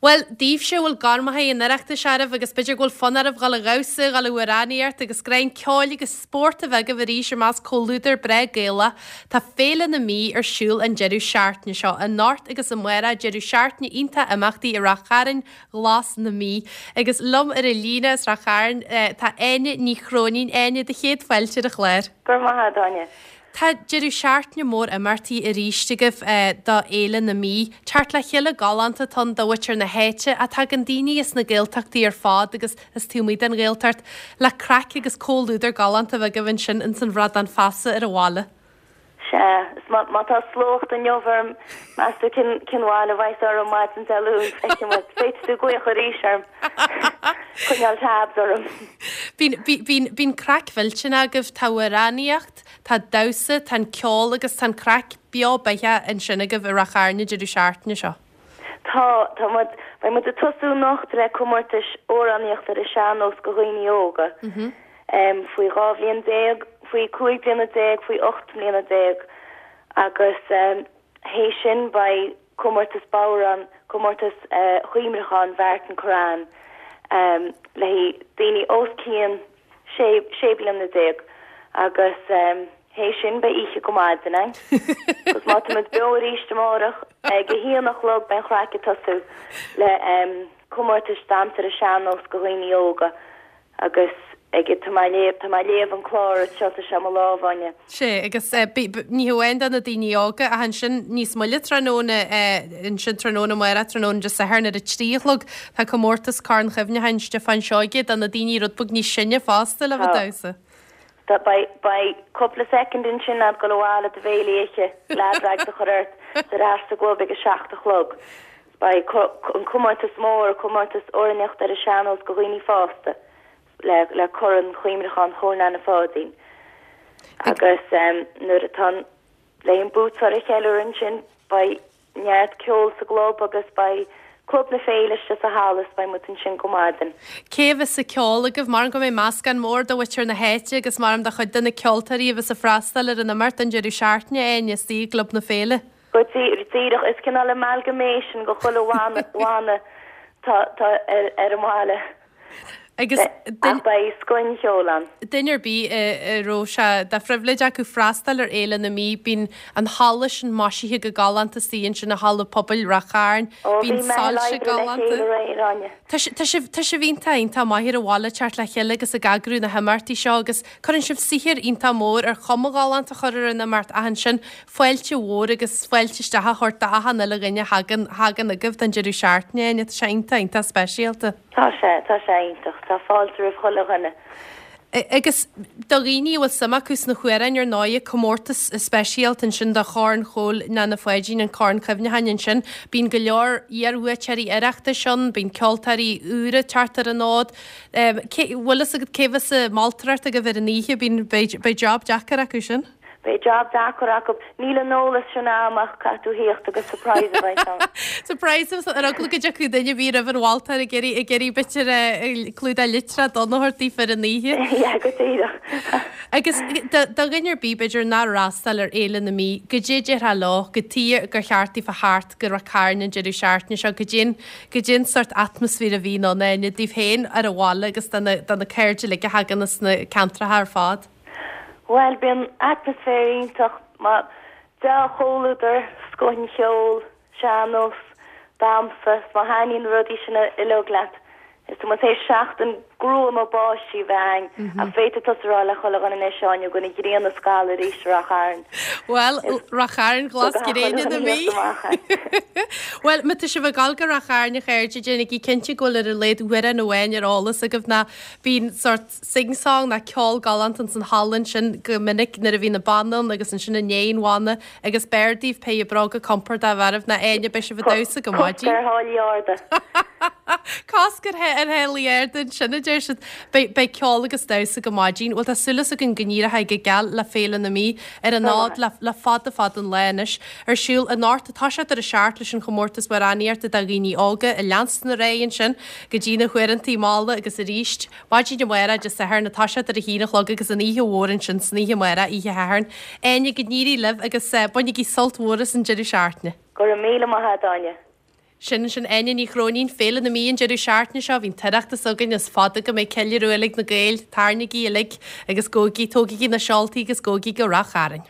Bhuel, daoibhse a bhfuil gormachaí an Oireachtais oraibh agus b'fhéidir go bhfuil fonn oraibh dhul a dhamhsa, dhul a amhránaíocht agus greim ceoil agus spórt a bheith agaibh arís i measc comhluadar breá Gaelach, tá Féile na Mí ar siúl an deireadh seachtaine seo, anocht agus amárach, deireadh seachtaine iontach imeachtaí i Rath Chairn Ghlas na Mí. Agus liom ar an líne as Rath Chairn tá Áine Ní Chróinín. Áine, do chéad fáilte ar an chlár. Go raibh maith agat, Áine. Tá deireadh seachtaine mór imeachtaí arís agaibh do Fhéile na Mí. Teacht le chéile galánta atá ann do mhuintir na háite ach tagann daoine as na Gaeltachtaí ar fad agus as taobh amuigh den Ghaeltacht le craic agus comhluadar galánta a bheith agaibh ansin ins an Bhradán Feasa ar an bhaile. Sea, is má tá sluacht inniu orm, meas tú cén bhail a bheas orm maidin Dé Luain, feicfidh muid. Féadfaidh tú glaoch arís orm. Coinneáil tabs orm. Bíonn, bíonn, bíonn craic mhillteanach agaibh, tá amhránaíocht, tá damhsa, tá an ceol agus tá an craic beo beatha ansin agaibh i Rath Chairn an deireadh seachtaine seo. Tá, tá muid, beidh muid ag tosú anocht le comórtais amhránaíochta ar an sean-nós do dhaoine óga. Faoi 12 bhliain, faoi 15 bliana, faoi 18 mbliana agus théis sin beidh comórtas bodhrán, comórtas Chuimhneacháin Mhartin Curran le haghaidh daoine os cionn 16 bliana agus théis sin beidh oíche go maidin ann. Agus má tá muid beo arís amárach ag a haon a chlog beidh an chraic ag tosú le comórtais damhsa ar an sean-nós do dhaoine óga. Agus ag, tá mé ag léamh, tá mé ag léamh an clár anseo, tá sé i mo lámh, Áine. Sea, agus ní hamháin do na daoine óga, ach ansin níos moille tráthnóna, ansin tráthnóna amárach, tráthnóna Dé Sathairn ar a 3 a chlog, tá comórtas Corn Chuimhneacháin Stiofáin Seoige do na daoine rud beag níos sine fosta le bheith ag damhsa. Tá, beidh, beidh cúpla soicind ansin a'd dul abhaile do bhéile a ithe, leath drags a chur ort, ar ais sa gclub ag a 7 a chlog. Beidh an comórtas mór, comórtas amhránaíochta ar an sean-nós do dhaoine fásta le Corn Chuimhneacháin Chóil Neaine Pháidín. Agus nuair atá an le an buaiteoir a cheiliúradh ansin beidh neart ceoil sa gclub agus beidh Club na Féile istigh sa halla is beidh muid ansin go maidin. Cé a bheas ag ceol agaibh? Maram go mbeidh meascán mór de mhuintir na háite agus maram de chuid de na ceoltóirí a bheas ag freastal ar an imeacht an deireadh seachtaine, Áine, istigh i gClub na Féile. Go díreach, is cineál amalgamation de chuile bhanna tá ar an mbaile. Agus Ach beidh scoth an cheoil ann. Duine ar bith a raibh sé de phribhléid acu freastal ar Fhéile na Mí, bíonn an halla sin maisithe go galánta istigh ansin i Halla Pobail Rath Chairn. Ó, bhí Bíonn meitheal soilse oibre le galánta. chéile aréir, Áine. Tá sibh, tá sibh iontach, iontach maith ar an bhaile teacht le chéile agus ag eagrú na himeachtaí seo agus cuireann sibh saothar iontach mór ar chuma ghalánta a chur ar an imeacht ach ansin fáilte mhór agus fáilte isteach a thabhairt d'achan uile dhuine a thagann, thagann agaibh don deireadh seachtaine, Áine. Tá sé iontach, iontach speisialta. Tá sé, tá sé iontach. Tá fáilte roimh chuile dhuine. Agus do dhaoine a bhfuil suim acu sna hamhráin, ar ndóighe, comórtas speisialta ansin do Chorn Chóil Neaine Pháidín, an Corn Cuimhneacháin ansin. Bíonn go leor iarbhuaiteoirí Oireachtais ann, bíonn ceoltóirí úra ag teacht ar an fhód. Cé, bhfuil fhios agat cé bheas ag moltóireacht agaibh ar an oíche? Bíonn, beidh, beidh job deacair acu sin. Beidh job deacair acu. Níl an eolas sin a'm ach caithfidh tú thíocht agus surprise a bheidh ann. Surprise a bheas ann. Ar eagla go dtiocfadh duine ar bith roimh an mholtóir ag iarraidh ag iarraidh b'fhéidir clúdach litreach donn a thabhairt daofa ar an oíche. Yeah, go díreach. Agus do dhuine ar bith b'fhéidir nár fhreastail ar Fhéile na Mí, goidé déarfá leo, cad tuige gur cheart daofa theacht go Rath Cairn an deireadh seachtaine seo, goidé goidé an sórt atmaisféar a bhíonn ann, Áine, daoibh féin ar an bhaile agus do na do na cairde uilig a thagann as na ceantracha ar fad. Bhuel, bíonn atmaisféar iontach, dea-chomhluadar, scoth an cheoil, sean-nós, damhsa, is má thaitníonn na rudaí sin uilig leat, is tá muid théis seachtain gruama báistí a bheith a'ainn, ach féadfaidh tusa a rá le chuile dhuine anois, Áine, go bhfuil an ghrian ag scalladh arís i Rath Chairn. Bhuel, Rath Chairn ghlas gréine na Mí. Bhuel, má tá sibh ag dul go Rath Chairn, a chairde, déanaigí cinnte go bhfuil ar a laghad amhrán amháin ar eolas agaibh ná bíonn sórt sing-song ná ceol galánta ins an halla ansin go minic nuair a bhíonn an banna ann agus ansin i ndiaidh an bhanna agus b'fhearr daoibh pé bróga compordach a bheith oraibh ná Áine beidh sibh ag damhsa go maidin. Cosc ar tháillí arda. Cosc ar tháillí arda ansin a deir siad. Beidh beidh ceol agus damhsa go maidin. Bhuel tá súil againn go n-éireoidh go geal le Féile na Mí ar an fhód le le fada fada an lá anois. Ar siúl anocht ag toiseacht ar a 7 leis an chomórtas amhránaíochta do dhaoine óga ag leanstan ar aghaidh ansin go dtí na huaireantaí malla agus arís maidin amárach Dé Sathairn ag toiseacht ar a haon a chlog agus an oíche mhór ansin san oíche amárach, oíche Shathairn. Áine, go n-éirí libh agus bainigí sult mhór as an deireadh seachtaine. Go raibh míle maith agat, Áine. Sin sin Áine Ní Chróinín, Féile na Mí an deireadh seachtaine seo, bhí an tOireachtas againn, is fada go mbeidh ceiliúradh uilig na Gaeil, tarraingígí uilig agus gabhaigí, tógaigí na seoltaí agus gabhaigí go Rath Chairn.